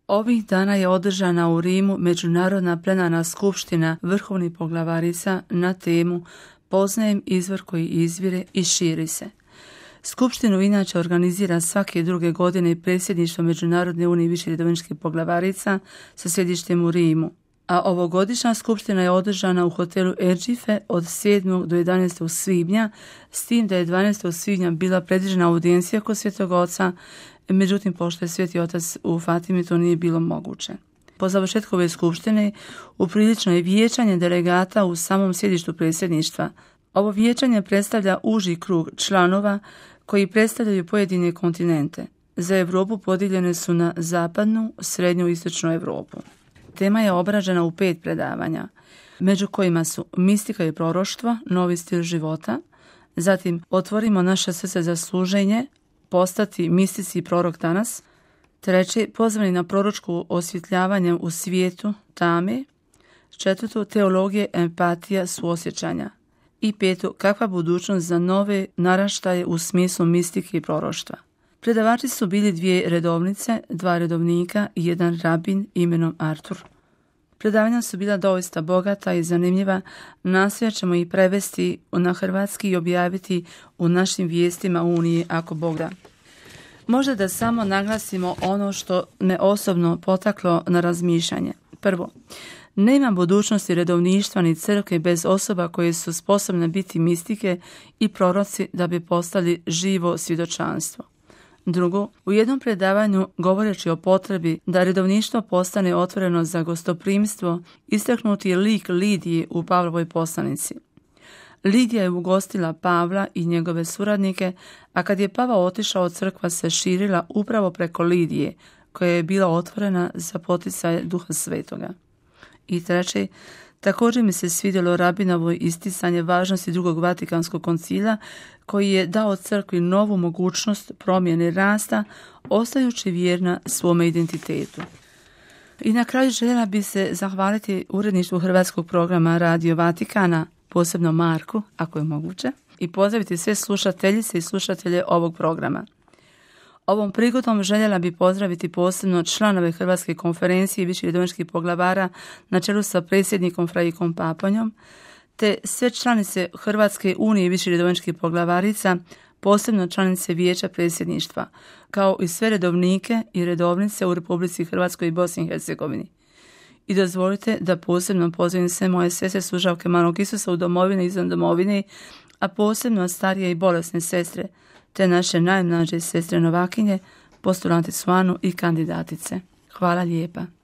Ovih dana je održana u Rimu Međunarodna plenarna skupština vrhovnih poglavarica na temu Poznajem izvor koji izvire i širi se. Skupštinu inače organizira svake druge godine predsjedništvo Međunarodne unije viših redovničkih poglavarica sa sjedištem u Rimu. A ovogodišnja skupština je održana u hotelu Erđife od 7. do 11. svibnja, s tim da je 12. svibnja bila predviđena audijencija kod Svetog Oca, međutim, pošto je Sveti Otac u Fatimi, to nije bilo moguće. Po završetku ove skupštine uprilično je vijećanje delegata u samom sjedištu predsjedništva. Ovo vijećanje predstavlja uži krug članova koji predstavljaju pojedine kontinente. Za Europu podijeljene su na zapadnu, srednju i istočnu Europu. Tema je obrađena u 5 predavanja, među kojima su mistika i proroštvo, novi stil života, zatim otvorimo naše srce za služenje, postati mistici i prorok danas, 3. pozvani na proročko osvjetljavanje u svijetu tame, 4. teologije, empatija, suosjećanja i 5. kakva budućnost za nove naraštaje u smislu mistike i proroštva. Predavači su bili 2 redovnice, 2 redovnika i 1 rabin imenom Artur. Predavanja su bila doista bogata i zanimljiva, nastojat ćemo ih prevesti na hrvatski i objaviti u našim vijestima Unije ako Bog da. Možda da samo naglasimo ono što me osobno potaklo na razmišljanje. Prvo, nema budućnosti redovništva ni crkve bez osoba koje su sposobne biti mistike i proroci da bi postali živo svjedočanstvo. Drugo, u jednom predavanju govoreći o potrebi da redovništvo postane otvoreno za gostoprimstvo, istaknuti je lik Lidije u Pavlovoj poslanici. Lidija je ugostila Pavla i njegove suradnike, a kad je Pavao otišao, crkva se širila upravo preko Lidije, koja je bila otvorena za poticaj Duha Svetoga. I 3. također mi se svidjelo rabinovo isticanje važnosti Drugog Vatikanskog koncila, koji je dao crkvi novu mogućnost promjene rasta, ostajući vjerna svome identitetu. I na kraju željela bi se zahvaliti uredništvu hrvatskog programa Radio Vatikana, posebno Marku, ako je moguće, i pozdraviti sve slušateljice i slušatelje ovog programa. Ovom prigodom željela bi pozdraviti posebno članove Hrvatske konferencije viših redovničkih poglavara na čelu sa predsjednikom Fraikom Paponjom, te sve članice Hrvatske unije viših redovničkih poglavarica, posebno članice Vijeća predsjedništva, kao i sve redovnike i redovnice u Republici Hrvatskoj i Bosni i Hercegovini. I dozvolite da posebno pozdravim sve moje sestre slušavke malog Isusa u domovini i izvan domovine, a posebno starije i bolesne sestre, te naše najmlađe sestre novakinje, postulanticu Anu i kandidatice. Hvala lijepa.